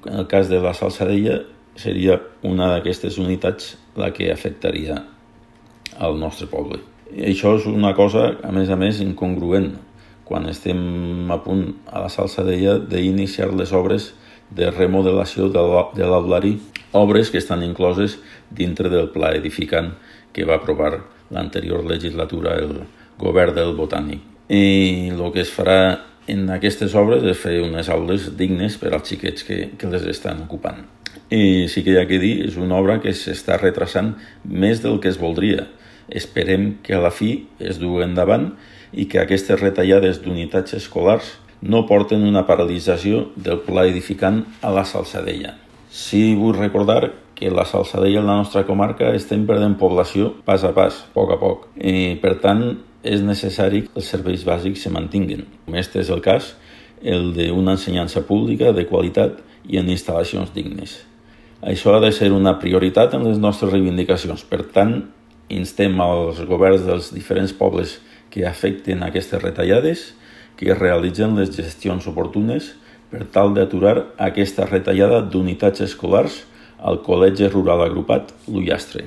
En el cas de la Salzadella seria una d'aquestes unitats la que afectaria al nostre poble. I això és una cosa, a més, incongruent, quan estem a punt a la Salzadella d'iniciar les obres de remodelació de l'Aulari, obres que estan incloses dintre del pla edificant que va aprovar l'anterior legislatura el govern del Botànic. I el que es farà en aquestes obres és fer unes aules dignes per als xiquets que les estan ocupant. I sí que hi ha que dir, és una obra que s'està retrasant més del que es voldria. Esperem que a la fi es dugui endavant i que aquestes retallades d'unitats escolars no porten una paralització del pla edificant a la Salzadella. Sí vull recordar que la Salzadella, en la nostra comarca, estem perdent població pas a pas, poc a poc. I, per tant, és necessari que els serveis bàsics se mantinguin. Este és el cas, el d'una ensenyança pública de qualitat i en instal·lacions dignes. Això ha de ser una prioritat en les nostres reivindicacions. Per tant, instem als governs dels diferents pobles que afecten aquestes retallades que realitzen les gestions oportunes per tal d'aturar aquesta retallada d'unitats escolars al Col·legi Rural Agrupat L'Ullastre.